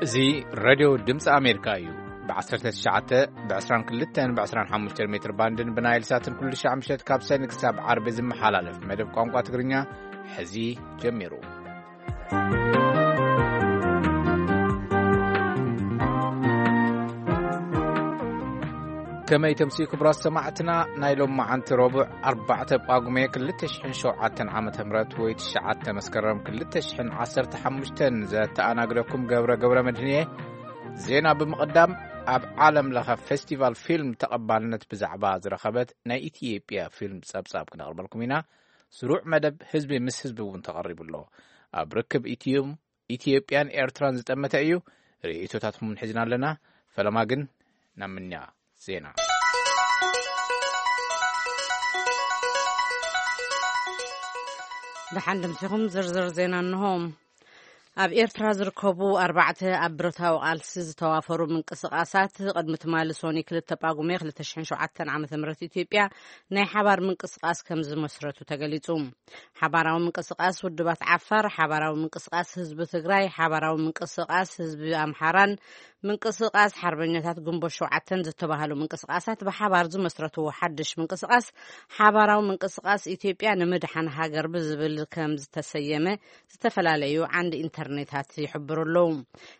እዚ ሬድዮ ድምፂ ኣሜሪካ እዩ። ብ19፣ ብ22፣ ብ25 ሜትር ባንድን ብናይል ሳትን ኩሉ ሻዕ ምሸት ካብ ሰኒ ክሳብ ዓርቢ ዝመሓላለፍ መደብ ቋንቋ ትግርኛ ሕዚ ጀሚሩ። ከመይ ተምሲ ክቡራት ሰማዕትና፣ ናይ ሎም መዓንቲ ረቡዕ ኣርባዕተ ጳጉሜ ክልተ ሽሕን ሸውዓተን ዓመተ ምህረት ወይ ትሽዓተ መስከረም ክልተ ሽሕን ዓሰርተ ሓሙሽተን ዘተኣናግደኩም ገብረ ገብረ መድህን እየ። ዜና ብምቕዳም፣ ኣብ ዓለም ለኸ ፌስቲቫል ፊልም ተቐባልነት ብዛዕባ ዝረኸበት ናይ ኢትዮጵያ ፊልም ጸብጻብ ክነቕርበልኩም ኢና። ስሩዕ መደብ ህዝቢ ምስ ህዝቢ እውን ተቐሪቡ ኣሎ። ኣብ ርክብ ኢትዮም-፣ ኢትዮጵያን ኤርትራን ዝጠመተ እዩ። ርእይቶታትኩም ሒዝና ኣለና። ፈለማ ግን ናብ ምንያ ዜና። ደሓን ድምሲኹም ዝርዝር ዜና እንሆ። ኣብ ኤርትራ ዝርከቡ ኣርባዕተ ኣብ ብረታዊ ቃልሲ ዝተዋፈሩ ምንቅስቓሳት ቅድሚ ትማሊ ሶኒ ክልተ ጳጉሜ ክልተ ሽሕን ሸውዓተን ዓመተ ምህረት ኢትዮጵያ ናይ ሓባር ምንቅስቓስ ከም ዝመስረቱ ተገሊጹ። ሓባራዊ ምንቅስቓስ ውድባት ዓፋር፣ ሓባራዊ ምንቅስቓስ ህዝቢ ትግራይ፣ ሓባራዊ ምንቅስቓስ ህዝቢ ኣምሓራን ምንቅስቓስ ሓርበኛታት ግንቦት ሸውዓተን ዝተባህሉ ምንቅስቓሳት ብሓባር ዝመስረትዎ ሓድሽ ምንቅስቓስ ሓባራዊ ምንቅስቓስ ኢትዮጵያ ንምድሓን ሃገር ብዝብል ከም ዝተሰየመ ዝተፈላለዩ ዓንዲ ኢንተርኔታት ይሕብሩ ኣለዉ።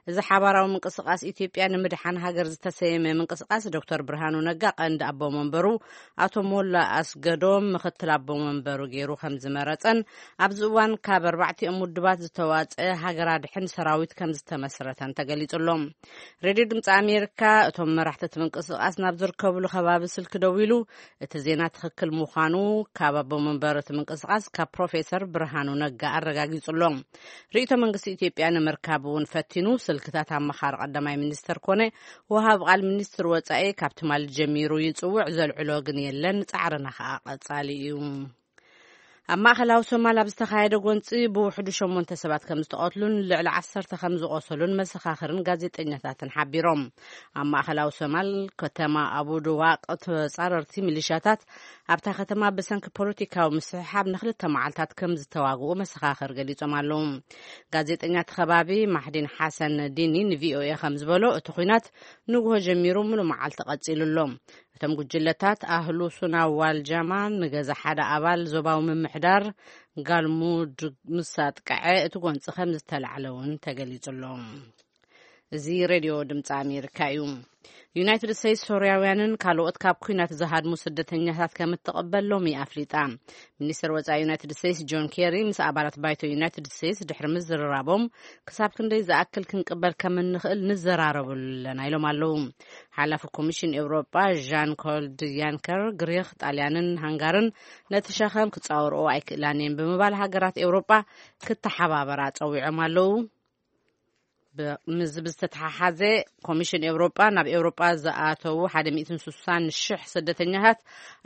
እዚ ሓባራዊ ምንቅስቓስ ኢትዮጵያ ንምድሓን ሃገር ዝተሰየመ ምንቅስቓስ ዶክተር ብርሃኑ ነጋ ቀንዲ ኣቦ መንበሩ፣ ኣቶ ሞላ ኣስገዶም ምኽትል ኣቦ መንበሩ ገይሩ ከም ዝመረጸን ኣብዚ እዋን ካብ ኣርባዕቲኦም ውድባት ዝተዋጸ ሃገር ኣድሕን ሰራዊት ከም ዝተመስረተን ተገሊጹ ኣሎ። ሬድዮ ድምፂ ኣሜሪካ እቶም መራሕቲ እቲ ምንቅስቓስ ናብ ዝርከብሉ ከባቢ ስልኪ ደዊሉ እቲ ዜና ትኽክል ምዃኑ ካብ ኣቦ መንበር እቲ ምንቅስቓስ ካብ ፕሮፌሰር ብርሃኑ ነጋ ኣረጋጊጹ ኣሎ። ርእይቶ መንግስቲ ኢትዮጵያ ንምርካብ እውን ፈቲኑ ስልክታት ኣመኻሪ ቀዳማይ ሚኒስተር ኮነ ወሃብ ቃል ሚኒስትር ወጻኢ ካብ ትማሊ ጀሚሩ ይጽውዕ፣ ዘልዕሎ ግን የለን። ጻዕርና ከኣ ቀጻሊ እዩ። ኣብ ማእከላዊ ሶማል ኣብ ዝተኻየደ ጎንጺ ብውሕዱ ሸሞንተ ሰባት ከም ዝተቐትሉን ልዕሊ ዓሰርተ ከም ዝቖሰሉን መሰኻኽርን ጋዜጠኛታትን ሓቢሮም። ኣብ ማእከላዊ ሶማል ከተማ ኣቡድዋቅ ተጻረርቲ ሚሊሻታት ኣብታ ከተማ ብሰንኪ ፖለቲካዊ ምስሕሓብ ንክልተ መዓልታት ከም ዝተዋግኡ መሰኻኽር ገሊጾም ኣለዉ። ጋዜጠኛ እቲ ከባቢ ማሕዲን ሓሰን ዲኒ ንቪኦኤ ከም ዝበሎ፣ እቲ ኲናት ንግሆ ጀሚሩ ምሉእ መዓልቲ ቀጺሉ ኣሎ። እቶም ጉጅለታት ኣህሉ ሱና ዋል ጃማ ንገዛ ሓደ ኣባል ዞባዊ ምምሕዳር ጋልሙድ ምስ ኣጥቅዐ እቲ ጎንፂ ከም ዝተላዕለ እውን ተገሊጹ ኣሎ። እዚ ሬድዮ ድምፂ ኣሜሪካ እዩ። ዩናይትድ ስቴትስ ሶርያውያንን ካልኦት ካብ ኲናት ዝሃድሙ ስደተኛታት ከም እትቕበል ሎሚ ኣፍሊጣ። ሚኒስትር ወጻኢ ዩናይትድ ስቴትስ ጆን ኬሪ ምስ ኣባላት ባይቶ ዩናይትድ ስቴትስ ድሕሪ ምዝርራቦም፣ ክሳብ ክንደይ ዝኣክል ክንቅበል ከም እንኽእል ንዘራረበሉ ኣለና ኢሎም ኣለዉ። ሓላፊ ኮሚሽን ኤውሮጳ ዣን ኮልድ ያንከር፣ ግሪኽ፣ ጣልያንን ሃንጋርን ነቲ ሸኸም ክጻወርኦ ኣይክእላን እየን ብምባል ሃገራት ኤውሮጳ ክተሓባበራ ጸዊዖም ኣለዉ። ብ-፣ ምስዚ ብዝተተሓሓዘ ኮሚሽን ኤውሮጳ ናብ ኤውሮጳ ዝኣተዉ ሓደ ሚእትን ስሳን ሽሕ ስደተኛታት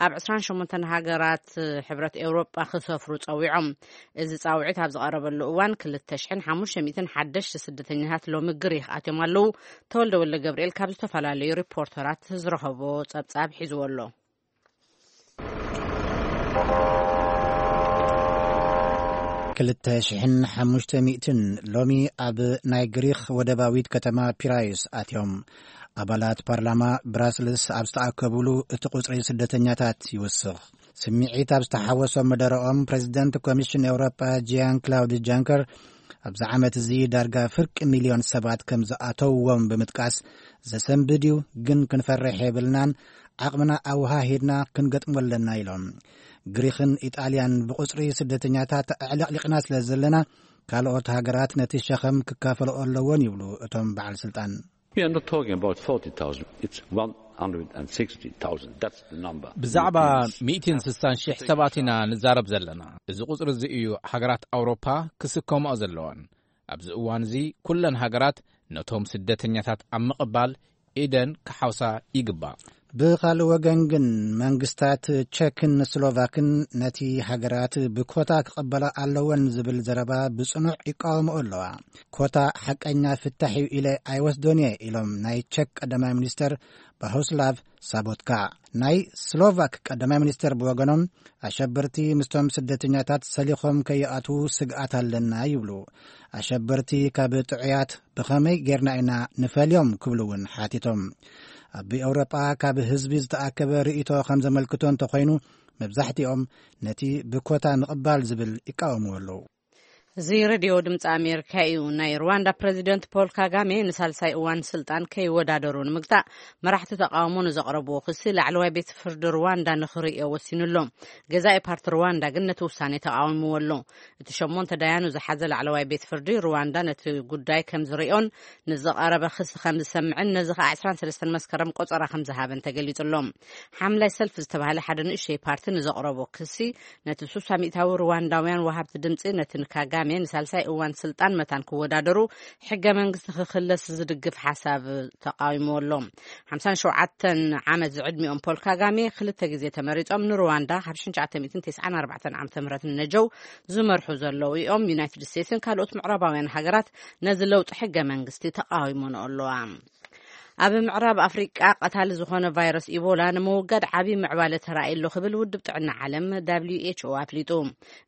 ኣብ ዕስራን ሸሞንተን ሃገራት ሕብረት ኤውሮጳ ክሰፍሩ ጸዊዖም። እዚ ጻውዒት ኣብ ዝቐረበሉ እዋን ክልተ ሽሕን ሓሙሽተ ሚእትን ሓደሽተ ስደተኛታት ሎሚ ግሪኽ ኣትዮም ኣለዉ። ተወልደ ወልደ ገብርኤል ካብ ዝተፈላለዩ ሪፖርተራት ዝረኸቦ ጸብጻብ ሒዝዎ ኣሎ። ክልተ ሽሕን ሓሙሽተ ሚእትን ሎሚ ኣብ ናይ ግሪኽ ወደባዊት ከተማ ፒራዩስ ኣትዮም። ኣባላት ፓርላማ ብራስልስ ኣብ ዝተኣከቡሉ እቲ ቁጽሪ ስደተኛታት ይውስኽ። ስምዒት ኣብ ዝተሓወሶ መደረኦም ፕሬዚደንት ኮሚሽን ኤውሮጳ ጂያን ክላውድ ጃንከር ኣብዚ ዓመት እዚ ዳርጋ ፍርቂ ሚልዮን ሰባት ከም ዝኣተውዎም ብምጥቃስ ዘሰንብድ እዩ፣ ግን ክንፈርሕ የብልናን፣ ዓቕምና ኣወሃሂድና ክንገጥሞ ኣለና ኢሎም። ግሪኽን ኢጣልያን ብቁጽሪ ስደተኛታት ኣዕለቕሊቕና ስለ ዘለና ካልኦት ሃገራት ነቲ ሸኸም ክካፈልኦ ኣለዎን ይብሉ እቶም በዓል ስልጣን። We are not talking about forty thousand, it's one hundred sixty thousand. That's the number. ብዛዕባ ሚእትን ስሳን ሽሕ ሰባት ኢና ንዛረብ ዘለና። እዚ ቁጽሪ እዚ እዩ ሃገራት ኣውሮፓ ክስከምኦ ዘለወን። ኣብዚ እዋን እዚ ኩለን ሃገራት ነቶም ስደተኛታት ኣብ ምቕባል ኢደን ክሓውሳ ይግባእ። ብኻልእ ወገን ግን መንግስታት ቸክን ስሎቫክን ነቲ ሃገራት ብኮታ ክቐበላ ኣለወን ዝብል ዘረባ ብጽኑዕ ይቃወምኦ ኣለዋ። ኮታ ሓቀኛ ፍታሕ እዩ ኢለ ኣይወስዶን እየ ኢሎም ናይ ቸክ ቀዳማይ ሚኒስተር ባሆስላቭ ሳቦትካ። ናይ ስሎቫክ ቀዳማይ ሚኒስተር ብወገኖም ኣሸበርቲ ምስቶም ስደተኛታት ሰሊኾም ከይኣትዉ ስግኣት ኣለና ይብሉ። ኣሸበርቲ ካብ ጥዑያት ብኸመይ ጌርና ኢና ንፈልዮም ክብሉ እውን ሓቲቶም። ኣብ ኤውሮጳ ካብ ህዝቢ ዝተኣከበ ርእይቶ ከም ዘመልክቶ እንተኾይኑ፣ መብዛሕትኦም ነቲ ብኮታ ምቕባል ዝብል ይቃወምዎ ኣለዉ። እዚ ሬድዮ ድምፂ ኣሜሪካ እዩ። ናይ ሩዋንዳ ፕሬዚደንት ፖል ካጋሜ ንሳልሳይ እዋን ስልጣን ከይወዳደሩ ንምግታእ መራሕቲ ተቃውሞ ንዘቕረብዎ ክሲ ላዕለዋይ ቤት ፍርዲ ሩዋንዳ ንኽርእዮ ወሲኑ ኣሎ። ገዛኢ ፓርቲ ሩዋንዳ ግን ነቲ ውሳኔ ተቃዊምዎ ኣሎ። እቲ ሸሞንተ ዳያኑ ዝሓዘ ላዕለዋይ ቤት ፍርዲ ሩዋንዳ ነቲ ጉዳይ ከም ዝርእዮን ንዝቐረበ ክሲ ከም ዝሰምዕን ነዚ ከዓ ዕስራን ሰለስተን መስከረም ቆጸራ ከም ዝሃበን ተገሊጹ ኣሎ። ሓምላይ ሰልፊ ዝተባህለ ሓደ ንእሽተይ ፓርቲ ንዘቕረቦ ክሲ ነቲ ሱሳ ሚእታዊ ሩዋንዳውያን ወሃብቲ ድምፂ ነቲ ንካጋሜ ንሳልሳይ እዋን ስልጣን መታን ክወዳደሩ ሕገ መንግስቲ ክክለስ ዝድግፍ ሓሳብ ተቃዊምዎ ኣሎ። ሓምሳን ሸውዓተን ዓመት ዝዕድሚኦም ፖል ካጋሜ ክልተ ግዜ ተመሪጾም ንሩዋንዳ ካብ ሽሕን ትሽዓተ ሚእትን ተስዓን ኣርባዕተን ዓመተ ምህረት ንነጀው ዝመርሑ ዘለዉ እዮም። ዩናይትድ ስቴትስን ካልኦት ምዕራባውያን ሃገራት ነዚ ለውጢ ሕገ መንግስቲ ተቃዊሞንኦ ኣለዋ። ኣብ ምዕራብ ኣፍሪቃ ቀታሊ ዝኾነ ቫይረስ ኢቦላ ንምውጋድ ዓቢ ምዕባለ ተራእዩ ኣሎ ክብል ውድብ ጥዕና ዓለም ደብሊው ኤች ኦ ኣፍሊጡ።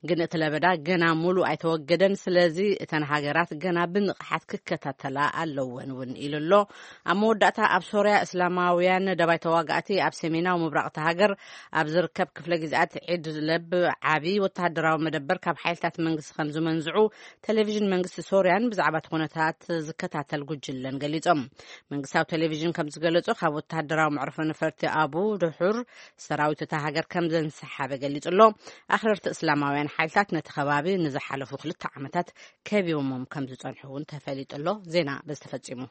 ግን እቲ ለበዳ ገና ሙሉእ ኣይተወገደን፣ ስለዚ እተን ሃገራት ገና ብንቕሓት ክከታተላ ኣለወን እውን ኢሉ ኣሎ። ኣብ መወዳእታ ኣብ ሶርያ እስላማውያን ደባይ ተዋጋእቲ ኣብ ሰሜናዊ ምብራቕ እታ ሃገር ኣብ ዝርከብ ክፍለ ግዝኣት ዒድለብ ዓቢ ወተሃደራዊ መደበር ካብ ሓይልታት መንግስቲ ከም ዝመንዝዑ ቴሌቪዥን መንግስቲ ሶርያን ብዛዕባ እቲ ኩነታት ዝከታተል ጉጅለን ገሊጾም። መንግስታዊ ቴሌቪዥን ከም ዝገለጾ ካብ ወተሃደራዊ መዕርፎ ነፈርቲ ኣቡ ድሑር ሰራዊት እታ ሃገር ከም ዘንሰሓበ ገሊጹ ኣሎ። ኣኽረርቲ እስላማውያን ሓይልታት ነቲ ከባቢ ንዝሓለፉ ክልተ ዓመታት ከቢቦሞም ከም ዝጸንሑ እውን ተፈሊጡ ኣሎ። ዜና በዚ ተፈጺሙ።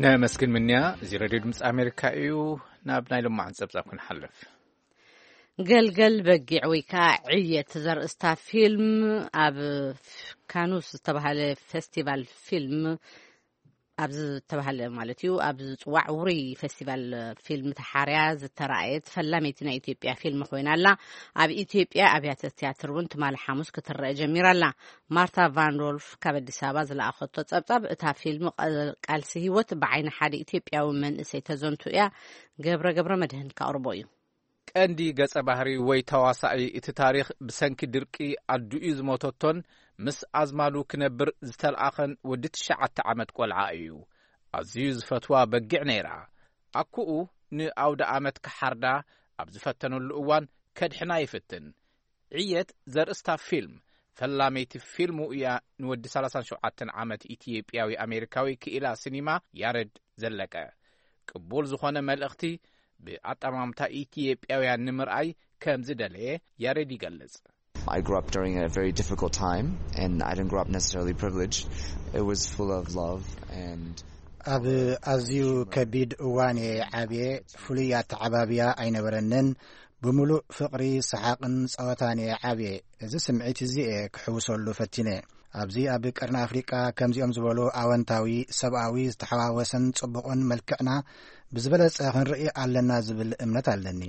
ነመስግን ምንያ። እዚ ሬድዮ ድምፂ ኣሜሪካ እዩ። ናብ ናይ ልማዓን ጸብጻብ ክንሓልፍ። ገልገል በጊዕ ወይ ከዓ ዕየት ዘርእስታ ፊልም ኣብ ካኑስ ዝተባህለ ፌስቲቫል ፊልም፣ ኣብ ዝተባህለ ማለት እዩ፣ ኣብ ዝፅዋዕ ውሩይ ፌስቲቫል ፊልም ተሓርያ ዝተራእየት ፈላመይቲ ናይ ኢትዮጵያ ፊልም ኮይና ኣላ። ኣብ ኢትዮጵያ ኣብያተ ትያትር እውን ትማሊ ሓሙስ ክትረአ ጀሚራ ኣላ። ማርታ ቫንዶልፍ ካብ ኣዲስ ኣበባ ዝለኣኸቶ ጸብጻብ፣ እታ ፊልም ቀ-፣ ቃልሲ ህይወት ብዓይኒ ሓደ ኢትዮጵያዊ መንእሰይ ተዘንቱ እያ። ገብረ ገብረ መድህን ካቕርቦ እዩ። ቀንዲ ገጸ ባህሪ ወይ ተዋሳኢ እቲ ታሪኽ ብሰንኪ ድርቂ ኣዱኡ ዝሞተቶን ምስ ኣዝማዱ ክነብር ዝተልኣኸን ወዲ ትሽዓተ ዓመት ቆልዓ እዩ። ኣዝዩ ዝፈትዋ በጊዕ ነይራ። ኣኩኡ ንኣውደ ኣመት ክሓርዳ ኣብ ዝፈተነሉ እዋን ከድሕና ይፍትን። ዕየት ዘርእስታ ፊልም ፈላመይቲ ፊልሙ እያ ንወዲ ሰላሳን ሸውዓተን ዓመት ኢትዮጵያዊ ኣሜሪካዊ ክኢላ ሲኒማ ያረድ ዘለቀ። ቅቡል ዝኾነ መልእኽቲ ብኣጠማምታ ኢትዮጵያውያን ንምርኣይ ከም ዝደለየ ያሬድ ይገልጽ። I grew up during a very difficult time, and I didn't grow up necessarily privileged. It was full of love and ኣብ ኣዝዩ ከቢድ እዋን እየ ዓብየ። ፍሉይ ኣተዓባብያ ኣይነበረንን። ብምሉእ ፍቕሪ፣ ሰሓቕን ጸወታን እየ ዓብየ። እዚ ስምዒት እዚ እየ ክሕውሰሉ ፈቲነ። ኣብዚ ኣብ ቀርኒ ኣፍሪቃ ከምዚኦም ዝበሉ ኣወንታዊ፣ ሰብኣዊ፣ ዝተሓዋወሰን ጽቡቕን መልክዕና ብዝበለጸ ክንርኢ ኣለና ዝብል እምነት ኣለኒ።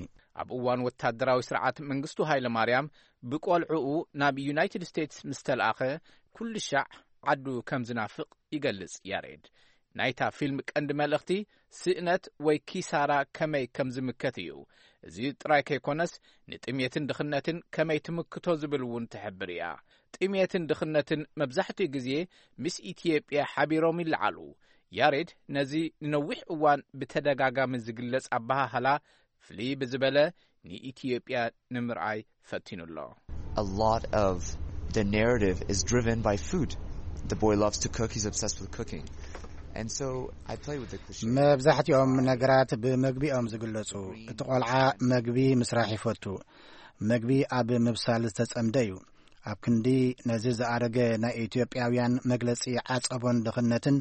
ኣብ እዋን ወታደራዊ ስርዓት መንግስቱ ሃይለ ማርያም ብቆልዕኡ ናብ ዩናይትድ ስቴትስ ምስ ተልኣኸ፣ ኩሉ ሻዕ ዓዱ ከም ዝናፍቕ ይገልጽ ያሬድ። ናይታ ፊልም ቀንዲ መልእኽቲ ስእነት ወይ ኪሳራ ከመይ ከም ዝምከት እዩ። እዚ ጥራይ ከይኮነስ፣ ንጥሜትን ድኽነትን ከመይ ትምክቶ ዝብል እውን ትሕብር እያ። ጥሜትን ድኽነትን መብዛሕትኡ ግዜ ምስ ኢትዮጵያ ሓቢሮም ይለዓሉ። ያሬድ ነዚ ንነዊሕ እዋን ብተደጋጋሚ ዝግለጽ ኣበሃህላ ፍልይ ብዝበለ ንኢትዮጵያ ንምርኣይ ፈቲኑ ኣሎ። A lot of the narrative is driven by food. The boy loves to cook, he's obsessed with cooking. And so I play with the cliche. መብዛሕትኦም ነገራት ብመግቢ እዮም ዝግለጹ። እቲ ቆልዓ መግቢ ምስራሕ ይፈቱ። መግቢ ኣብ ምብሳል ዝተጸምደ እዩ። ኣብ ክንዲ ነዚ ዝኣረገ ናይ ኢትዮጵያውያን መግለጺ ዓጸቦን ድኽነትን፣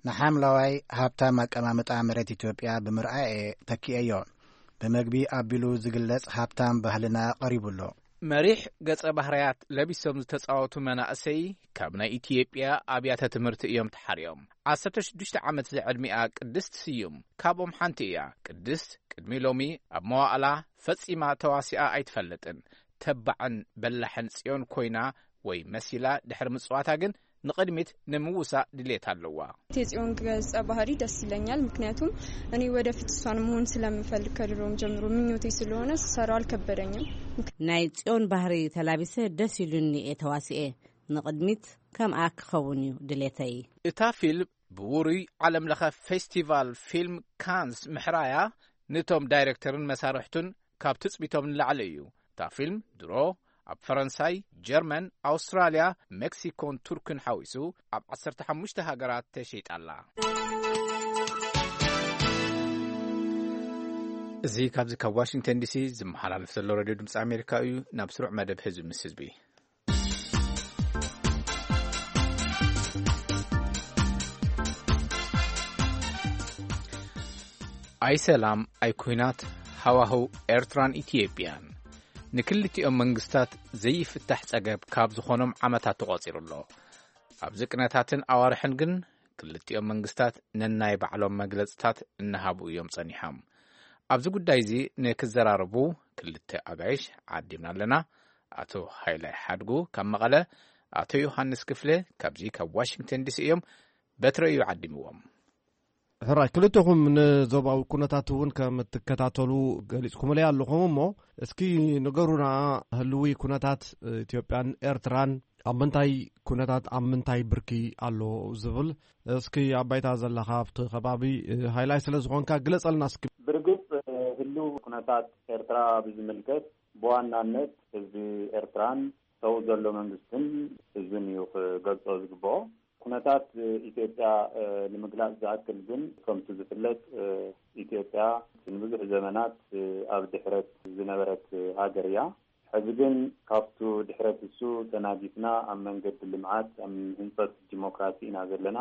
ንሓምለዋይ ሃብታም ኣቀማምጣ መሬት ኢትዮጵያ ብምርኣየ ተኪኤዮ። ብመግቢ ኣቢሉ ዝግለጽ ሃብታም ባህልና ቀሪቡ ኣሎ። መሪሕ ገጸ ባህርያት ለቢሶም ዝተጻወቱ መናእሰይ ካብ ናይ ኢትዮጵያ ኣብያተ ትምህርቲ እዮም ተሓርዮም። ዓሰርተ ሽዱሽተ ዓመት ዝዕድሚኣ ቅድስት ስዩም ካብኦም ሓንቲ እያ። ቅድስት ቅድሚ ሎሚ ኣብ መዋእላ ፈጺማ ተዋሲኣ ኣይትፈልጥን። ተባዕን በላሕን ጽዮን ኮይና ወይ መሲላ ድሕሪ ምጽዋታ ግን ንቕድሚት ንምውሳእ ድሌት ኣለዋ። የጽዮን ገጸ ባህሪ ደስ ይለኛል። ምክንያቱም እኔ ወደፊት እሷን መሆን ስለምፈልግ ከድሮም ጀምሮ ምኞቴ ስለሆነ ስሰራው አልከበደኝም። ናይ ጽዮን ባህሪ ተላቢሰ ደስ ኢሉኒ እየ ተዋሲኤ። ንቕድሚት ከምኣ ክኸውን እዩ ድሌተይ። እታ ፊልም ብውሩይ ዓለም ለኸ ፌስቲቫል ፊልም ካንስ ምሕራያ፣ ነቶም ዳይሬክተርን መሳርሕቱን ካብ ትጽቢቶም ንላዕሊ እዩ። እታ ፊልም ድሮ ኣብ ፈረንሳይ፣ ጀርመን፣ ኣውስትራልያ፣ ሜክሲኮን ቱርክን ሓዊሱ ኣብ ዓሰርተ ሓሙሽተ ሃገራት ተሸይጣ ኣላ። እዚ ካብዚ ካብ ዋሽንግተን ዲሲ ዝመሓላለፍ ዘሎ ሬድዮ ድምፂ ኣሜሪካ እዩ። ናብ ስሩዕ መደብ ህዝቢ ምስ ህዝቢ። ኣይ ሰላም ኣይ ኩናት፣ ሃዋህው ኤርትራን ኢትዮጵያን ንክልቲኦም መንግስታት ዘይፍታሕ ጸገብ ካብ ዝኾኖም ዓመታት ተቖጺሩ ኣሎ። ኣብዚ ቅነታትን ኣዋርሕን ግን ክልቲኦም መንግስታት ነናይ ባዕሎም መግለጽታት እናሃቡ እዮም ጸኒሖም። ኣብዚ ጉዳይ እዚ ንክዘራረቡ ክልተ ኣጋይሽ ዓዲምና ኣለና። ኣቶ ሃይላይ ሓድጉ ካብ መቐለ፣ ኣቶ ዮሃንስ ክፍለ ካብዚ ካብ ዋሽንግተን ዲሲ እዮም። በትረ እዩ ዓዲምዎም። ሕራይ ክልተኹም ንዞባዊ ኩነታት እውን ከም እትከታተሉ ገሊጽኩምለይ ኣለኹም። እሞ እስኪ ንገሩና፣ ህልዊ ኩነታት ኢትዮጵያን ኤርትራን ኣብ ምንታይ ኩነታት፣ ኣብ ምንታይ ብርኪ ኣሎ ዝብል፣ እስኪ ኣብ ባይታ ዘለኻ ኣብቲ ከባቢ ሃይላይ ስለ ዝኾንካ ግለጸልና እስኪ። ብርግጽ፣ ህልው ኩነታት ኤርትራ ብዝምልከት ብዋናነት ህዝቢ ኤርትራን ሰው ዘሎ መንግስትን ህዝብን እዩ ክገልጾ ዝግብኦ። ኩነታት ኢትዮጵያ ንምግላጽ ዝኣክል ግን፣ ከምቲ ዝፍለጥ፣ ኢትዮጵያ ንብዙሕ ዘመናት ኣብ ድሕረት ዝነበረት ሃገር እያ። ሕዚ ግን ካብቱ ድሕረት እሱ ተናጊፍና ኣብ መንገዲ ልምዓት፣ ኣብ ህንጸት ዲሞክራሲ ኢና ዘለና።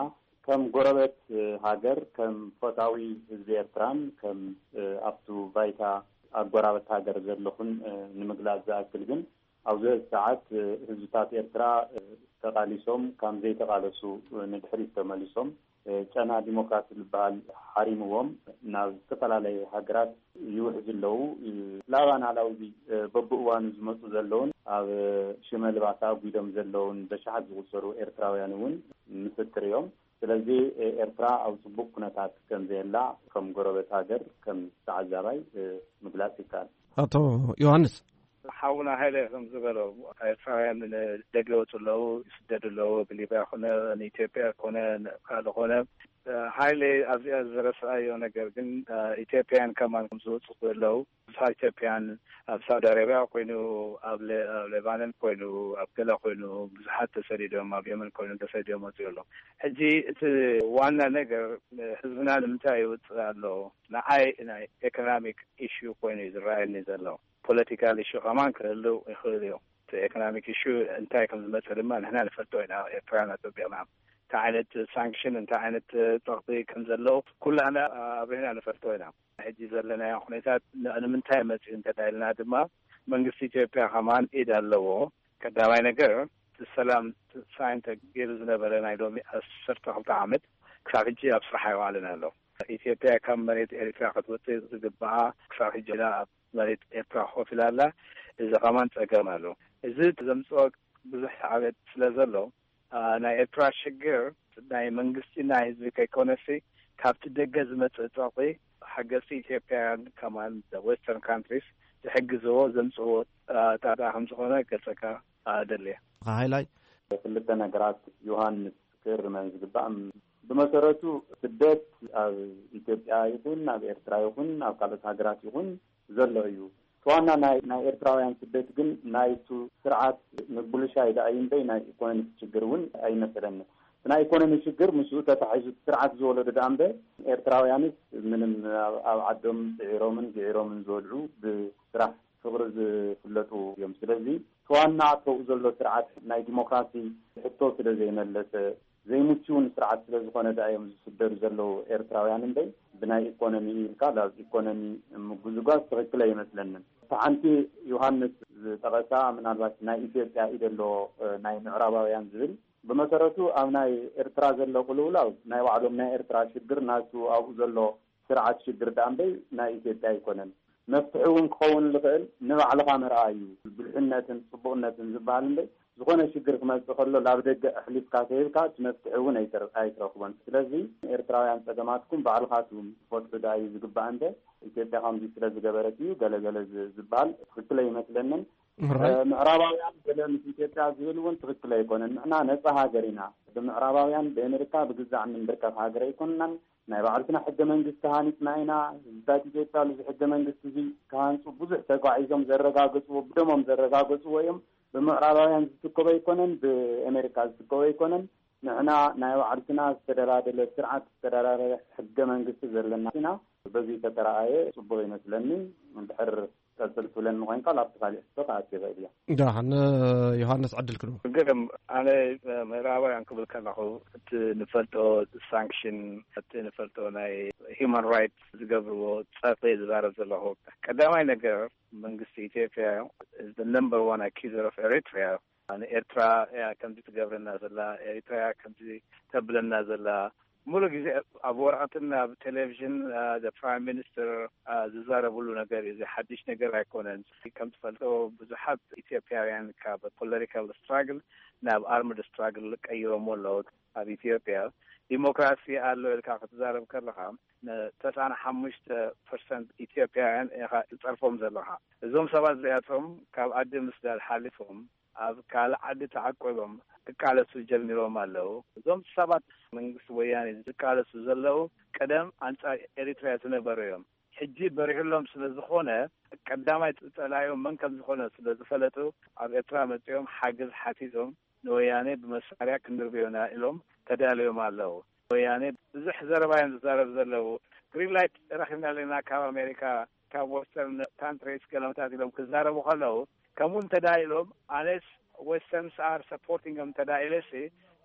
ከም ጎረበት ሃገር፣ ከም ፈታዊ ህዝቢ ኤርትራን ከም ኣብቱ ባይታ ኣጎራበት ሃገር ዘለኹን ንምግላጽ ዝኣክል ግን፣ ኣብዚ ሰዓት ህዝብታት ኤርትራ ተቓሊሶም፣ ከም ዘይተቓለሱ ንድሕሪት ተመሊሶም፣ ጨና ዲሞክራሲ ዝበሃል ሓሪምዎም፣ ናብ ዝተፈላለየ ሃገራት ይውሕዙ ኣለዉ። ላባን ኣላውዚ በብእዋኑ ዝመጹ ዘለውን፣ ኣብ ሽመልባት ኣጒዶም ዘለውን በሽሓት ዝቑጸሩ ኤርትራውያን እውን ምስክር እዮም። ስለዚ ኤርትራ ኣብ ጽቡቕ ኩነታት ከም ዘየላ ከም ጎረበት ሃገር፣ ከም ተዓዛባይ ምግላጽ ይከኣል። ኣቶ ዮሃንስ። ሓውና ሃይለ ከም ዝበሎ፣ ኤርትራውያን ንደገ ይወጹ ኣለዉ፣ ይስደዱ ኣለዉ። ብሊብያ ኮነ፣ ንኢትዮጵያ ኮነ፣ ካልእ ኮነ። ሃይለ ኣብዚኣ ዝረስኣዮ ነገር ግን፣ ኢትዮጵያን ከማን ከም ዝወጹ ኣለዉ። ኣብ ኢትዮጵያን ኣብ ሳውዲ ኣረብያ ኮይኑ፣ ኣብ ለ-፣ ኣብ ሌባነን ኮይኑ፣ ኣብ ገለ ኮይኑ፣ ብዙሓት ተሰዲዶም፣ ኣብ የመን ኮይኖም ተሰዲዶም ወጺኡ ኣሎ። ሕጂ እቲ ዋና ነገር፣ ህዝብና ንምንታይ ይውጽእ ኣሎ? ንዓይ ናይ ኤኮኖሚክ ኢሹ ኮይኑ እዩ ዝረኣየኒ ዘሎ። ፖለቲካል ኢሹ ከማን ክህልው ይኽእል እዩ። እቲ ኤኮኖሚክ ኢሹ እንታይ ከም ዝመጽእ ድማ ንሕና ንፈልጦ ኢና፣ ኤርትራውያን ኣጸቢቕና። እንታይ ዓይነት ሳንክሽን፣ እንታይ ዓይነት ጸቕጢ ከም ዘለዎ ኩላና ኣብሪህና ንፈልጦ ኢና። ሕጂ ዘለናዮ ኩነታት ን-፣ ንምንታይ መጽኡ እንተ ኢልና ድማ፣ መንግስቲ ኢትዮጵያ ከማን ኢድ ኣለዎ። ቀዳማይ ነገር፣ እቲ ሰላም ሳይን ተገይሩ ዝነበረ ናይ ሎሚ ዓሰርተ ክልተ ዓመት ክሳብ ሕጂ ኣብ ስራሕ ኣይዋዕለን ኣሎ። ኢትዮጵያ ካብ መሬት ኤርትራ ክትወጽእ ዝግብኣ ክሳብ ሕጂ ኣብ መሬት ኤርትራ ኮፍ ኢላ ኣላ። እዚ ከማን ጸገም ኣሎ። እዚ ዘምጽኦ ብዙሕ ሳዕቤን ስለ ዘሎ፣ አ፣ ናይ ኤርትራ ሽግር ናይ መንግስቲ ናይ ህዝቢ ከይኮነሲ፣ ካብቲ ደገ ዝመጽእ ጸቕጢ፣ ሓገዝቲ ኢትዮጵያውያን ከማን ዌስተርን ካንትሪስ ዝሕግዝዎ ዘምጽእዎ፣ አ፣ ጣጣ ከም ዝኾነ ገልጸካ፣ አ፣ ደልየ። ሃይላይ። ክልተ ነገራት ዮሃንስ ክእርመን ዝግባእ። ብመሰረቱ ስደት ኣብ ኢትዮጵያ ይኹን ኣብ ኤርትራ ይኹን ኣብ ካልኦት ሃገራት ይኹን ዘሎ እዩ። እቲ ዋና ናይ፣ ናይ ኤርትራውያን ስደት ግን ናይቱ ስርዓት ምብልሻይ ደኣ እዩ እምበይ ናይ ኢኮኖሚ ሽግር እውን ኣይመስለኒ። እቲ ናይ ኢኮኖሚ ሽግር ምስኡ ተታሒዙ እቲ ስርዓት ዝወለዶ ደኣ እምበር ኤርትራውያንስ ምንም ኣብ፣ ኣብ ዓዶም ጽዒሮምን ግዒሮምን ዝበልዑ ብስራሕ ፍቕሪ ዝፍለጡ እዮም። ስለዚ እቲ ዋና ኣተውኡ ዘሎ ስርዓት ናይ ዲሞክራሲ ሕቶ ስለ ዘይመለሰ፣ ዘይምችውን ስርዓት ስለ ዝኾነ ደኣ እዮም ዝስደዱ ዘለዉ ኤርትራውያን እምበይ፣ ብናይ ኢኮኖሚ ኢልካ ናብ ኢኮኖሚ ምጉዝጓዝ ትኽክል ኣይመስለንን። ሓንቲ ዮሃንስ ዝጠቐሳ፣ ምናልባት ናይ ኢትዮጵያ ኢደ ኣሎ፣ እ፣ ናይ ምዕራባውያን ዝብል፣ ብመሰረቱ ኣብ ናይ ኤርትራ ዘሎ ቅልውላው ናይ ባዕሎም ናይ ኤርትራ ሽግር፣ ናቱ ኣብኡ ዘሎ ስርዓት ሽግር ደኣ እምበይ ናይ ኢትዮጵያ ኣይኮነን። መፍትሒ እውን ክኸውን ዝኽእል ንባዕልኻ ምርኣይ እዩ። ብልሕነትን ጽቡቕነትን ዝበሃል እምበይ፣ ዝኾነ ሽግር ክመጽእ ከሎ ናብ ደገ ኣሕሊፍካ ከይብካ እቲ መፍትሒ እውን ኣይትር-፣ ኣይትረኽቦን። ስለዚ ኤርትራውያን ጸገማትኩም ባዕልኻትኩም ትፈትሑ ደኣ እዩ ዝግባእ እምበር፣ ኢትዮጵያ ከምዚ ስለ ዝገበረት እዩ ገለ ገለ ዝ-፣ ዝበሃል ትኽክል ኣይመስለንን። እ፣ ምዕራባውያን ገለ ምስ ኢትዮጵያ ዝብል እውን ትኽክል ኣይኮነን። ንሕና ነጻ ሃገር ኢና። ብምዕራባውያን ብኣሜሪካ ብግዛዕ እንንብርከኽ ሃገር ኣይኮንናን። ናይ ባዕልትና ሕገ መንግስቲ ሃኒጽና ኢና። ህዝብታት ኢትዮጵያ እዚ ሕገ መንግስቲ እዚ ክሃንጹ ብዙሕ ተጓዒዞም ዘረጋገጽዎ፣ ብደሞም ዘረጋገጽዎ እዮም። ብምዕራባውያን ዝትከቦ ኣይኮነን፣ ብኣሜሪካ ዝትከቦ ኣይኮነን። ንሕና ናይ ባዕልትና ዝተደላደለ ስርዓት፣ ዝተደላደለ ሕገ መንግስቲ ዘለና ኢና። በዚ ተተረኣየ ጽቡቕ ይመስለኒ። እንድሕር ቀጽል ትብለኒ ኮይንካ፣ ኣብቲ ካሊእ ሕቶ ክኣቱ ይኽእል እየ። ደሓን፣ ዮሃንስ፣ ዕድል ክንህቦ። ግርም፣ ኣነ ምዕራባውያን ክብል ከለኹ፣ እቲ ንፈልጦ ሳንክሽን፣ እቲ ንፈልጦ ናይ ሂውማን ራይትስ ዝገብርዎ ጸርፊ ዝዛረብ ዘለኹ። ቀዳማይ ነገር፣ መንግስቲ ኢትዮጵያ is the number one accuser of Eritrea። ንኤርትራ እያ ከምዚ ትገብረና ዘላ፣ ኤሪትራ እያ ከምዚ ተብለና ዘላ። ሙሉ ግዜ ኣብ ወረቐትን ኣብ ቴሌቪዥን፣ አ፣ the prime minister፣ አ፣ ዝዛረብሉ ነገር እዩ። እዚ ሓድሽ ነገር ኣይኮነን። ከም ትፈልጦ፣ ብዙሓት ኢትዮጵያውያን ካብ ፖለቲካል ስትራግል ናብ ኣርምድ ስትራግል ቀይሮሞ ኣለዉ። ኣብ ኢትዮጵያ ዲሞክራሲ ኣሎ ኢልካ ክትዛረብ ከለኻ፣ ን ተስዓን ሓሙሽተ ፐርሰንት ኢትዮጵያውያን ኢኻ ትጸርፎም ዘለኻ። እዞም ሰባት እዚኣቶም ካብ ኣደ ምስዳድ ሓሊፎም ኣብ ካልእ ዓዲ ተዓቂቦም ክቃለሱ ጀሚሮም ኣለዉ። እዞም ሰባት መንግስቲ ወያኔ ዝቃለሱ ዘለዉ ቀደም ኣንጻር ኤሪትርያ ዝነበሩ እዮም። ሕጂ በሪሁሎም ስለ ዝኾነ ቀዳማይ ጸላኢኦም መን ከም ዝኾነ ስለ ዝፈለጡ ኣብ ኤርትራ መጺኦም ሓገዝ ሓቲቶም ንወያኔ ብመሳርያ ክንድርብዮና ኢሎም ተዳልዮም ኣለዉ። ወያኔ ብዙሕ ዘረባ እዮም ዝዛረብ ዘለዉ። ግሪን ላይት ረኺብና ኣለና ካብ ኣሜሪካ፣ ካብ ወስተርን ካንትሪስ ገለመታት ኢሎም ክዛረቡ ከለዉ ከምኡ እንተዳ ኢሎም ኣነስ westerns are supporting them እንተዳ ኢለሲ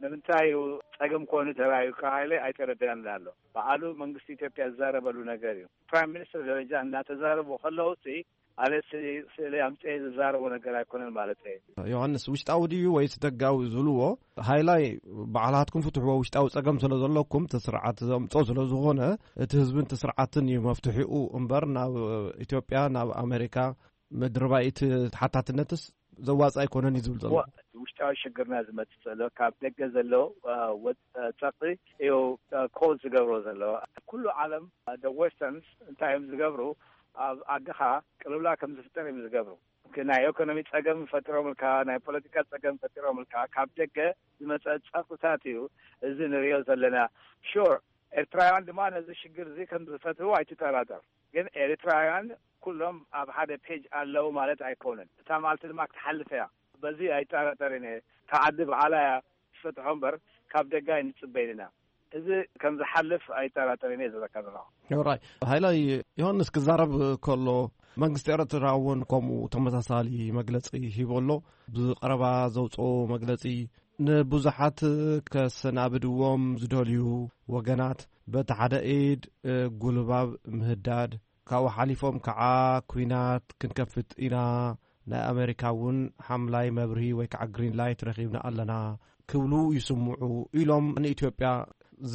ንምንታይ እዩ ጸገም ኮኑ ተራእዩ ካባይለ ኣይተረድኣን ኣሎ። በዓሉ መንግስቲ ኢትዮጵያ ዝዛረበሉ ነገር እዩ። ፕራይም ሚኒስትር ደረጃ እናተዛረቡ ከለዉ ሲ ኣነ ሲ-፣ ስእሊ ኣምፅኤ ዝዛረቦ ነገር ኣይኮነን ማለት እዩ። ዮሃንስ፣ ውሽጣዊ ድዩ ወይስ ደጋዊ ዝብልዎ፣ ሃይላይ ባዕላትኩም ፍትሕዎ፣ ውሽጣዊ ጸገም ስለ ዘለኩም እቲ ስርዓት ዘምጾ ስለ ዝኾነ እቲ ህዝብን እቲ ስርዓትን እዩ መፍትሒኡ እምበር ናብ ኢትዮጵያ፣ ናብ ኣሜሪካ ምድርባይ እቲ ተሓታትነትስ ዘዋጽእ ኣይኮነን እዩ ዝብል ዘሎ። ዋ-፣ ውሽጣዊ ሽግርና ዝመጽእ ዘሎ ካብ ደገ ዘሎ፣ አ፣ ወ-፣ አ፣ ጸቕጢ እዩ፣ አ፣ ኮዝ ዝገብሮ ዘሎ። ኩሉ ዓለም፣ አ፣ the westerns እንታይ እዮም ዝገብሩ? ኣብ ዓድኻ ቅልውላ ከም ዝፍጠር እዮም ዝገብሩ። ናይ ኢኮኖሚ ጸገም ፈጢሮምልካ፣ ናይ ፖለቲካ ጸገም ፈጢሮምልካ፣ ካብ ደገ ዝመጸ ጸቕጥታት እዩ እዚ ንሪኦ ዘለና። ሹር፣ ኤርትራውያን ድማ ነዚ ሽግር እዚ ከም ዝፈትዉ ኣይትጠራጠር። ግን ኤርትራውያን ኩሎም ኣብ ሓደ ፔጅ ኣለዉ ማለት ኣይኮነን። እታ መዓልቲ ድማ ክትሓልፍ እያ። በዚ ኣይጠራጠርን እየ። እታ ዓዲ ባዕላ እያ ትፈትሖ እምበር ካብ ደገ ኣይንጽበይን ኢና። እዚ ከም ዝሓልፍ ኣይጠራጠርን እየ ዝብለካ ዘለኹ። ራይ ሃይላይ፣ ዮሃንስ ክዛረብ ከሎ መንግስቲ ኤርትራ እውን ከምኡ ተመሳሳሊ መግለጺ ሂቡ ኣሎ። ብቐረባ ዘውፅኦ መግለጺ ንብዙሓት ከሰናብድዎም ዝደልዩ ወገናት በቲ ሓደ ኢድ፣ እ፣ ጉልባብ ምህዳድ፣ ካብኡ ሓሊፎም ከዓ ኲናት ክንከፍት ኢና፣ ናይ ኣሜሪካ እውን ሓምላይ መብርሂ ወይ ከዓ ግሪን ላይት ረኺብና ኣለና ክብሉ ይስምዑ ኢሎም ንኢትዮጵያ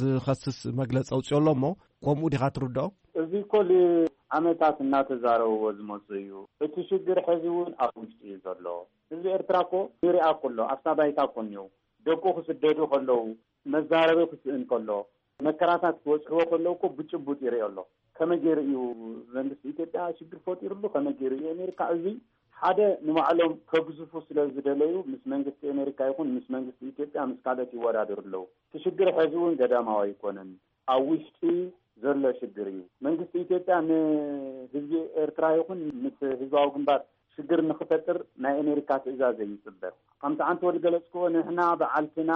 ዝኸስስ መግለጺ ኣውፅኦ ኣሎ። እሞ ከምኡ ዲኻ ትርድኦ? እዚ እኮ ንዓመታት እናተዛረብዎ ዝመፁ እዩ። እቲ ሽግር ሕዚ እውን ኣብ ውሽጢ እዩ ዘሎ። ህዝቢ ኤርትራ እኮ ይርኣ እኮ ኣሎ፣ ኣብታ ባይታ እኮ እኒኦ። ደቁ ክስደዱ ከለዉ፣ መዛረቢ ክስእን ከሎ፣ መከራታት ክበፅሕዎ ከለዉ እኮ ብጭቡጥ ይርኦ ኣሎ። ከመይ ገይሩ እዩ መንግስቲ ኢትዮጵያ ሽግር ፈጢሩሉ? ከመይ ገይሩ እዩ ኣሜሪካ? እዚ ሓደ ንባዕሎም ከግዝፉ ስለ ዝደለዩ ምስ መንግስቲ ኣሜሪካ ይኹን ምስ መንግስቲ ኢትዮጵያ ምስ ካልኦት ይወዳደሩ ኣለዉ። እቲ ሽግር ሕዚ እውን ገዳማዊ ኣይኮነን። ኣብ ውሽጢ ዘሎ ሽግር እዩ። መንግስቲ ኢትዮጵያ ንህዝቢ ኤርትራ ይኹን ምስ ህዝባዊ ግንባር ሽግር ንኽፈጥር ናይ ኣሜሪካ ትእዛዝ ኣይጽበ። ከምቲ ዓንተ ወዲ ገለጽክዎ፣ ንሕና በዓልትና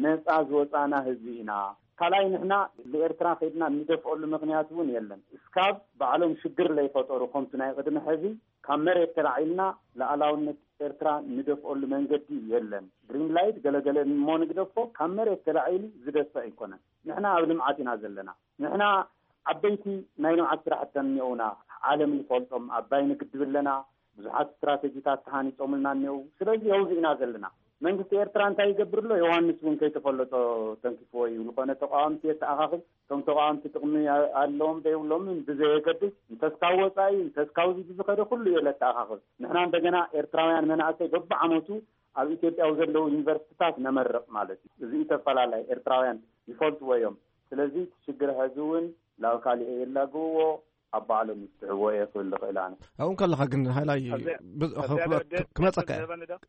ነጻ ዝወጻና ህዝቢ ኢና። ካልኣይ፣ ንሕና ንኤርትራ ከይድና እንደፍኦሉ ምኽንያት እውን የለን። እስካብ ባዕሎም ሽግር ለይፈጠሩ፣ ከምቲ ናይ ቅድሚ ሕዚ ካብ መሬት ተላዒልና ለኣላውነት ኤርትራ ንደፍኦሉ መንገዲ የለን። ግሪን ላይት ገለገለ እሞ ንግደፎ፣ ካብ መሬት ተላዒሉ ዝደፍእ ኣይኮነን። ንሕና ኣብ ልምዓት ኢና ዘለና። ንሕና ዓበይቲ ናይ ልምዓት ስራሕቲ እኒኦና። ዓለም ንፈልጦም ኣባይ ንግድብ ኣለና፣ ብዙሓት ስትራተጂታት ተሃኒጾምልና እኒው። ስለዚ ኣብዚ ኢና ዘለና። መንግስቲ ኤርትራ እንታይ ይገብር ኣሎ? ዮሃንስ እውን ከይተፈለጦ ተንኪፍዎ እዩ። ዝኾነ ተቃዋምቲ የተኣኻኽብ፣ እቶም ተቃዋምቲ ጥቕሚ ኣለዎም ዘይብሎምን ብዘየገድስ፣ እንተስካብ ወፃኢ እንተስካብዚ ብዝኸደ ኩሉ እየ ለተኣኻኽብ። ንሕና እንደገና ኤርትራውያን መናእሰይ በብዓመቱ ኣብ ኢትዮጵያ ዘለዉ ዩኒቨርሲቲታት ነመርቕ ማለት እዩ። እዚ ተፈላለይ ኤርትራውያን ይፈልጥዎ እዮም። ስለዚ እቲ ሽግር ሕዚ እውን ላብ ካሊእ የላግብዎ፣ ኣብ ባዕሎም ይፍትሕዎ እየ ክብል ዝኽእል ኣነ። ኣብኡ ከለኻ ግን ሃይላይ ክመፀካ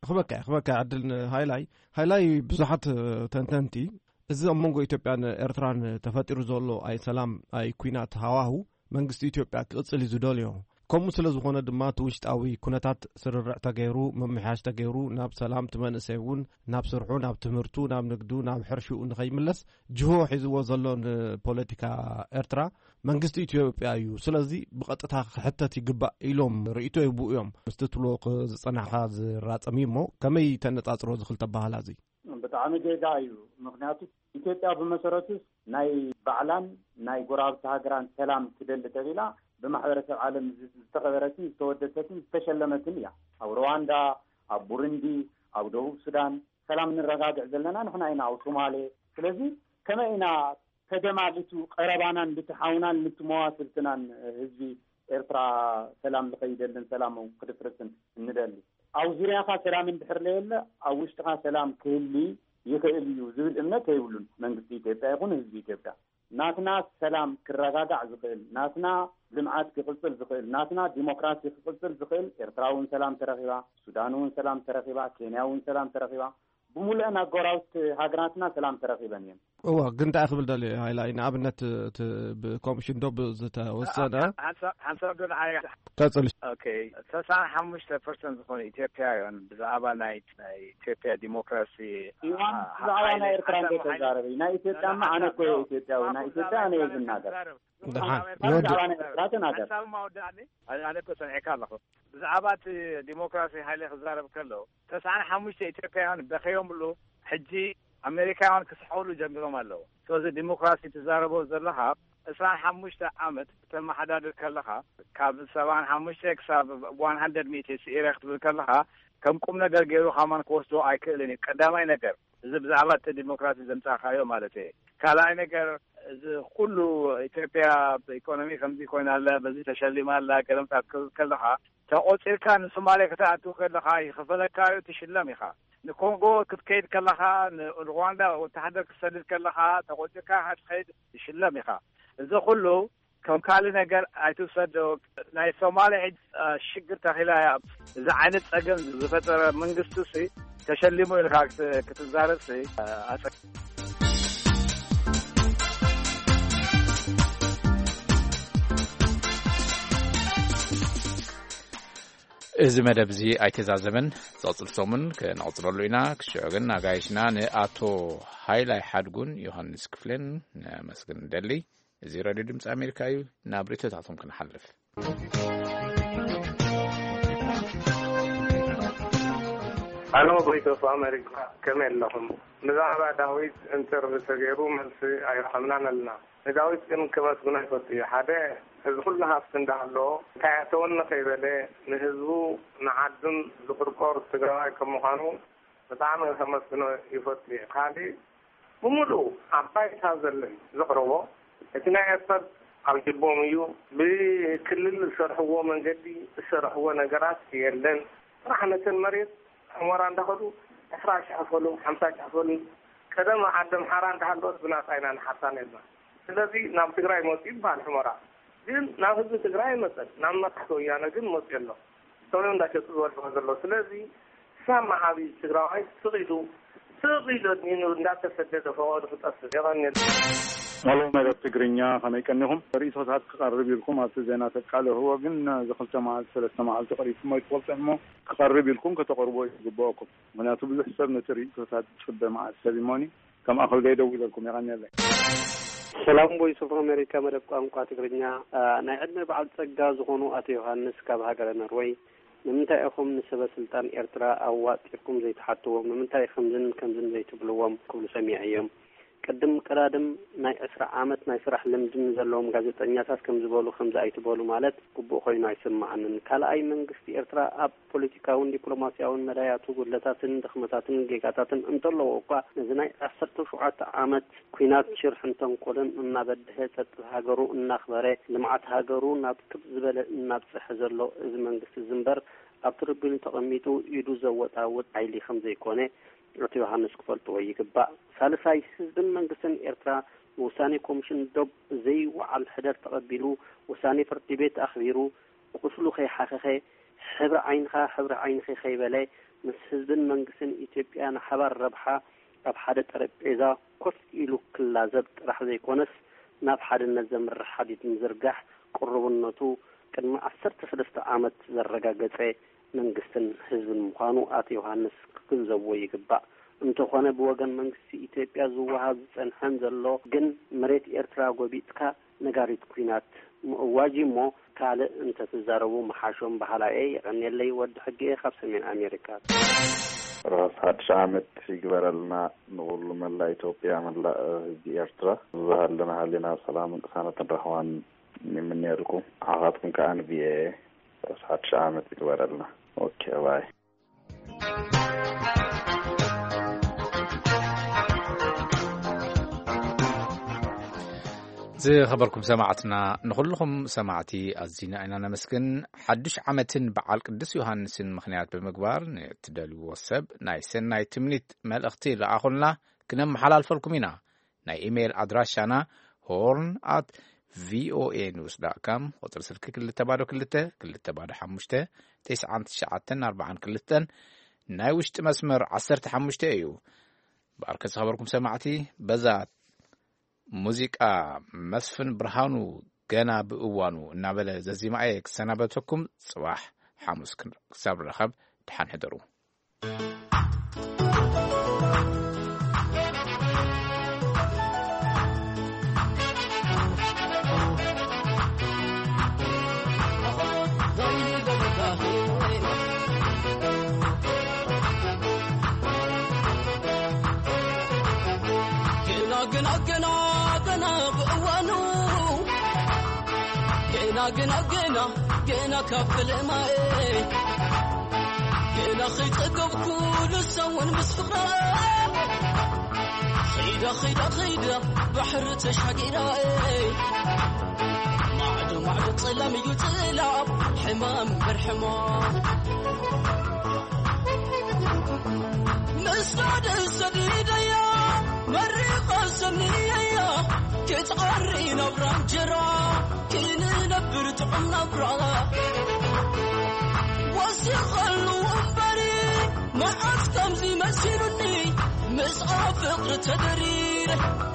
ክበካ ክበካ ዕድል ሃይላይ ሃይላይ ብዙሓት ተንተንቲ እዚ ኣብ መንጎ ኢትዮጵያን ኤርትራን ተፈጢሩ ዘሎ ኣይ ሰላም ኣይ ኩናት ሃዋሁ መንግስቲ ኢትዮጵያ ክቕፅል እዩ ዝደልዮ። ከምኡ ስለ ዝኾነ ድማ እቲ ውሽጣዊ ኩነታት ስርርዕ ተገይሩ፣ ምምሕያሽ ተገይሩ፣ ናብ ሰላም፣ እቲ መንእሰይ እውን ናብ ስርሑ፣ ናብ ትምህርቱ፣ ናብ ንግዱ፣ ናብ ሕርሽኡ ንኸይምለስ ጅሆ ሒዝዎ ዘሎ ንፖለቲካ ኤርትራ መንግስቲ ኢትዮጵያ እዩ። ስለዚ ብቐጥታ ክሕተት ይግባእ ኢሎም ርእይቶ ይህቡ እዮም። ምስቲ ትብሎ ዝጸናሕካ ዝራጸም እዩ እሞ ከመይ ተነጻጽሮ እዚ ክልተ ኣበሃህላ እዚ? ብጣዕሚ ጌጋ እዩ። ምኽንያቱ ኢትዮጵያ ብመሰረቱስ ናይ ባዕላን ናይ ጎረባብቲ ሃገራን ሰላም ትደሊ ተቢላ ብማሕበረሰብ ዓለም ዝተኸበረትን ዝተወደሰትን ዝተሸለመትን እያ። ኣብ ሩዋንዳ፣ ኣብ ቡሩንዲ፣ ኣብ ደቡብ ሱዳን ሰላም ንረጋግዕ ዘለና ንሕና ኢና፣ ኣብ ሶማሌ። ስለዚ ከመይ ኢና ተደማሊቱ ቀረባናን ብቲ ሓውናን ብቲ መዋስብትናን ህዝቢ ኤርትራ ሰላም ዝኸይደልን ሰላም ክድፍርስን እንደሊ? ኣብ ዙርያኻ ሰላም እንድሕር ለየለ ኣብ ውሽጥኻ ሰላም ክህሊ ይኽእል እዩ ዝብል እምነት የብሉን መንግስቲ ኢትዮጵያ ይኹን ህዝቢ ኢትዮጵያ። ናትና ሰላም ክረጋጋዕ ዝኽእል፣ ናትና ልምዓት ክቕጽል ዝኽእል፣ ናትና ዲሞክራሲ ክቕጽል ዝኽእል ኤርትራ እውን ሰላም ተረኺባ፣ ሱዳን እውን ሰላም ተረኺባ፣ ኬንያ እውን ሰላም ተረኺባ፣ ብምሉአን ኣጎራብቲ ሃገራትና ሰላም ተረኺበን እየን። እወ፣ ግን እንታይ ክብል ደልየ ሃይላይ ንኣብነት እቲ ብኮሚሽን ዶብ ዝተወሰነ ሓንሳብ ዶ ንዓይ ቀጽል። ኦኬ፣ ተስዓን ሓሙሽተ ፐርሰንት ዝኾኑ ኢትዮጵያውያን ብዛዕባ ናይ ናይ ኢትዮጵያ ዲሞክራሲ ኢዋን ብዛዕባ ናይ ኤርትራ እንደ ተዛረበ ናይ ኢትዮጵያማ ኣነ እኮ እየ ኢትዮጵያዊ ናይ ኢትዮጵያ ኣነ እየ ዝናገር። ደሓን ብዛዕባ ናይ ኤርትራ ተናገር። ሓንሳብ ማወዳእኒ ኣነ እኮ ሰሚዐካ ኣለኹ። ብዛዕባ እቲ ዲሞክራሲ ሃይለ ክዛረብ ከሎ ተስዓን ሓሙሽተ ኢትዮጵያውያን በኸዮምሉ። ሕጂ ኣሜሪካውያን ክስሐውሉ ጀሚሮም ኣለዉ። ስለዚ ዲሞክራሲ ትዛረቦ ዘለኻ ዕስራን ሓሙሽተ ዓመት ተመሓዳድር ከለኻ ካብ ሰብዓን ሓሙሽተ ክሳብ ዋን ሃንድረድ ሚእቲ ስኢረ ክትብል ከለኻ ከም ቁም ነገር ገይሩ ካማን ክወስዶ ኣይክእልን እዩ። ቀዳማይ ነገር እዚ ብዛዕባ እቲ ዲሞክራሲ ዘምጻእካዮ ማለት እየ። ካልኣይ ነገር እዚ ኩሉ ኢትዮጵያ ብኢኮኖሚ ከምዚ ኮይና ኣላ፣ በዚ ተሸሊማ ኣላ፣ ገለምታ ክትብል ከለኻ ተቆጺርካ ንሶማሌ ክትኣቱ ከለኻ ይኽፈለካ እዩ፣ ትሽለም ኢኻ። ንኮንጎ ክትከይድ ከለኻ ንሩዋንዳ ወተሃደር ክትሰድድ ከለኻ ተቆጺርካ ክትኸይድ ትሽለም ኢኻ። እዚ ኩሉ ከም ካልእ ነገር ኣይትውሰዶ። ናይ ሶማሌ ሕጂ ሽግር ተኺላ እያ። እዚ ዓይነት ጸገም ዝፈጠረ መንግስቲ ሲ ተሸሊሙ ኢልካ ክትዛረብ ሲ ኣጸ እዚ መደብ እዚ ኣይተዛዘመን። ዝቕጽል ሰሙን ክንቕጽለሉ ኢና። ክስዑ ግን ኣጋይሽና ንኣቶ ሃይላይ ሓድጉን ዮሃንስ ክፍሌን ነመስግን እንደሊ። እዚ ሬድዮ ድምፂ ኣሜሪካ እዩ። ናብ ርእይቶታቶም ክንሓልፍ። ኣሎ፣ ቮይስ ኦፍ ኣሜሪካ፣ ከመይ ኣለኹም? ብዛዕባ ዳዊት ኢንተርቪው ተገይሩ መልሲ ኣይረኸብናን ኣለና። ንዳዊት ግን ከመስግኖ ይፈቱ እዩ። ሓደ፣ እዚ ኩሉ ሃፍቲ እንዳሃለዎ እንታይ ኣተወኒ ከይበለ ንህዝቡ ንዓዱን ዝቁርቆር ትግራዋይ ከም ምዃኑ ብጣዕሚ ከመስግኖ ይፈቱ እየ። ካሊእ ብምሉእ ኣብ ባይታ ዘሎ እዩ ዘቕረቦ። እቲ ናይ ኤርትራ ኣብ ጅቦም እዩ። ብክልል ዝሰርሕዎ መንገዲ ዝሰርሕዎ ነገራት የለን። ጥራሕ ነተን መሬት ሑመራ እንዳኸዱ ዕስራ ሸሕ ፈሉ ሓምሳ ሸሕ ፈሉ ቀደም ዓዲ ኣምሓራ እንዳሃለወት ብናጻ ኢና ንሓርሳ ነርና። ስለዚ ናብ ትግራይ መፅኡ ይበሃል ሑመራ። ግን ናብ ህዝቢ ትግራይ ኣይመፀን። ናብ መራሕቲ ወያነ ግን መፅኡ ኣሎ። ሰብኦም እንዳሸጡ ዝበልዕዎ ዘሎ። ስለዚ ሳማ ዓብዪ ትግራዋይ ስቕ ኢሉ ስቕ ኢሉ ኣድሚኑ እንዳተሰደደ ፈቐዱ ክጠፍእ። የቐንየልና። ሄሎ መደብ ትግርኛ ከመይ ቀኒኹም? ርእይቶታት ክቐርብ ኢልኩም ኣብቲ ዜና ተቃለህዎ ግን እዚ ክልተ መዓልቲ ሰለስተ መዓልቲ ቀሪብኩሞ ኣይትፈልጡ እሞ ክቐርብ ኢልኩም ከተቕርቦ እዩ ዝግበኣኩም። ምኽንያቱ ብዙሕ ሰብ ነቲ ርእይቶታት ዝፅበ መዓልቲ ሰብ እሞኒ ከም ኣኸልጋይ ደዊለልኩም የቐንየለይ። ሰላም ቮይስ ኦፍ ኣሜሪካ መደብ ቋንቋ ትግርኛ። ናይ ዕድመ በዓል ጸጋ ዝኾኑ ኣቶ ዮሃንስ ካብ ሃገረ ኖርወይ ንምንታይ ኢኹም ንሰበ ስልጣን ኤርትራ ኣዋጢርኩም ዘይትሓትዎም? ንምንታይ ከምዝን ከምዝን ዘይትብልዎም? ክብሉ ሰሚዐዮም። ቅድም ቀዳድም ናይ ዕስራ ዓመት ናይ ስራሕ ልምዲ ንዘለዎም ጋዜጠኛታት ከም ዝበሉ፣ ከምዚ ኣይትበሉ ማለት ግቡእ ኮይኑ ኣይስምዓንን። ካልኣይ፣ መንግስቲ ኤርትራ ኣብ ፖለቲካውን ዲፕሎማስያውን መዳያቱ ጉድለታትን ድኽመታትን ጌጋታትን እንተለዎ እኳ፣ ነዚ ናይ ዓሰርተ ሸውዓተ ዓመት ኲናት ሽርሕን ተንኮልን እናበድሀ፣ ጸጥታ ሃገሩ እናኽበረ፣ ልምዓት ሃገሩ ናብ ክብ ዝበለ እናብጽሐ ዘሎ እዚ መንግስቲ እዚ እምበር፣ ኣብ ትሪቡን ተቐሚጡ ኢዱ ዘወጣውጥ ሓይሊ ከም ዘይኮነ ኣቶ ዮሃንስ ክፈልጥዎ ይግባእ። ሳልሳይ፣ ህዝብን መንግስትን ኤርትራ ንውሳኔ ኮሚሽን ዶብ ዘይወዓል ሕደር ተቐቢሉ፣ ውሳኔ ፍርዲ ቤት ኣኽቢሩ፣ ቁስሉ ከይሓኸኸ፣ ሕብሪ ዓይንኻ ሕብሪ ዓይንኺ ከይበለ፣ ምስ ህዝብን መንግስትን ኢትዮጵያ ንሓባር ረብሓ ኣብ ሓደ ጠረጴዛ ኮፍ ኢሉ ክላዘብ ጥራሕ ዘይኮነስ፣ ናብ ሓድነት ዘምርሕ ሓዲድ ምዝርጋሕ ቅሩብነቱ ቅድሚ ዓሰርተ ሰለስተ ዓመት ዘረጋገጸ መንግስትን ህዝብን ምዃኑ ኣቶ ዮሃንስ ክግንዘብዎ ይግባእ። እንተኾነ፣ ብወገን መንግስቲ ኢትዮጵያ ዝወሃብ ዝጸንሐን ዘሎ ግን፣ መሬት ኤርትራ ጎቢጥካ ነጋሪት ኲናት ምእዋጅ እሞ ካልእ እንተትዛረቡ ምሓሾም በሃላይ እየ። የቐንየለይ፣ ወዲ ሕጊ እየ ካብ ሰሜን ኣሜሪካ። ራስ ሓድሽ ዓመት ይግበረልና ንኹሉ መላእ ኢትዮጵያ፣ መላእ ህዝቢ ኤርትራ። ብዝሃለና ሃሊና ሰላምን ቅሳነትን ራህዋን ይምነየልኩም። ንዓኻትኩም ከኣ ንቪኦኤ ራስ ሓድሽ ዓመት ይግበረልና። ኦኬ፣ ባይ። ዝኸበርኩም ሰማዕትና፣ ንኹልኹም ሰማዕቲ ኣዚና ኢና ነመስግን። ሓድሽ ዓመትን በዓል ቅዱስ ዮሃንስን ምኽንያት ብምግባር፣ ንእትደልይዎ ሰብ ናይ ሰናይ ትምኒት መልእኽቲ ለኣኹልና፣ ክነመሓላልፈልኩም ኢና። ናይ ኢሜይል ኣድራሻና ሆርን ኣት ቪኦኤ ኒውስ ዳት ካም፣ ቁጽሪ ስልኪ ክልተ ባዶ ክልተ፣ ክልተ ባዶ ሓሙሽተ፣ ተስዓን ትሽዓተን ኣርባዓን ክልተን፣ ናይ ውሽጢ መስመር ዓሰርተ ሓሙሽተ እዩ። ብኣርከ ዝኸበርኩም ሰማዕቲ፣ በዛ ሙዚቃ መስፍን ብርሃኑ ገና ብእዋኑ እናበለ ዘዚማኤ ክሰናበተኩም። ጽባሕ ሓሙስ ክን-፣ ክሳብ ንራኸብ፣ ደሓን ሕደሩ። ገና፣ ገና፣ ገና፣ ገና ብእዋኑ። ገና፣ ገና፣ ገና፣ ገና ካብ ፈለማኤ። ገና ከይጸገብኩ ንሳ እውን ምስ ፍቕራ። ኸይዳ፣ ኸይዳ፣ ኸይዳ ባሕሪ ተሻጊራ። ማዕዶ፣ ማዕዶ ጸላም እዩ ጸላም፣ ሕማም እምበር ሕማም። ምስጋድ ሰዲደያ፣ መሪቐ ሰንየያ፣ ክትዓሪ ናብራ እንጀራ፣ ክንነብር ጥዑም ናብራ። ወሲኸሉ እምበሪ፣ መዓስ ከምዚ መሲሉኒ፣ ምስኣ ፍቕሪ ተደሪረ፣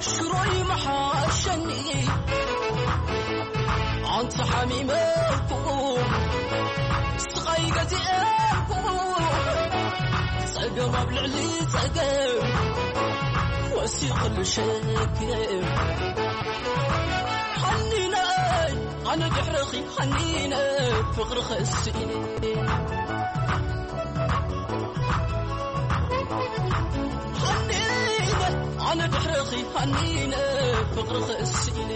ሽሮይ መሓሸኒ። ኣንቲ ሓሚመ እኮ፣ ስቓይ ገዚኤ እኮ፣ ጸገም ኣብ ልዕሊ ጸገም ወሲኹሉ ሸገም። ሓኒነይ ኣነ ድሕርኺ፣ ሓኒነ ፍቕርኺ ስኢነ። ሓኒነ ኣነ ድሕርኺ፣ ሓኒነ ፍቕርኺ ስኢነ።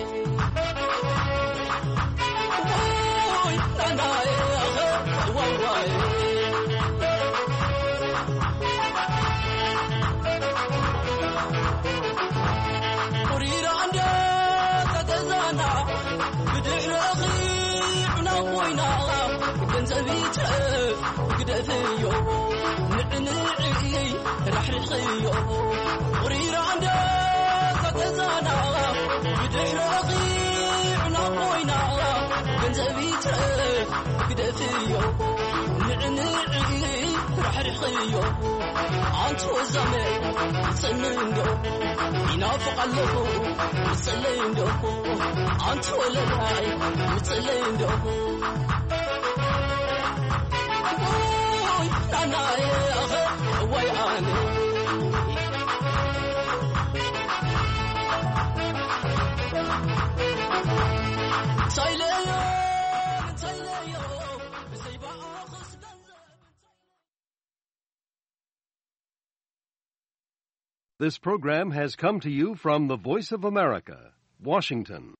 This program has come to you from the Voice of America, Washington.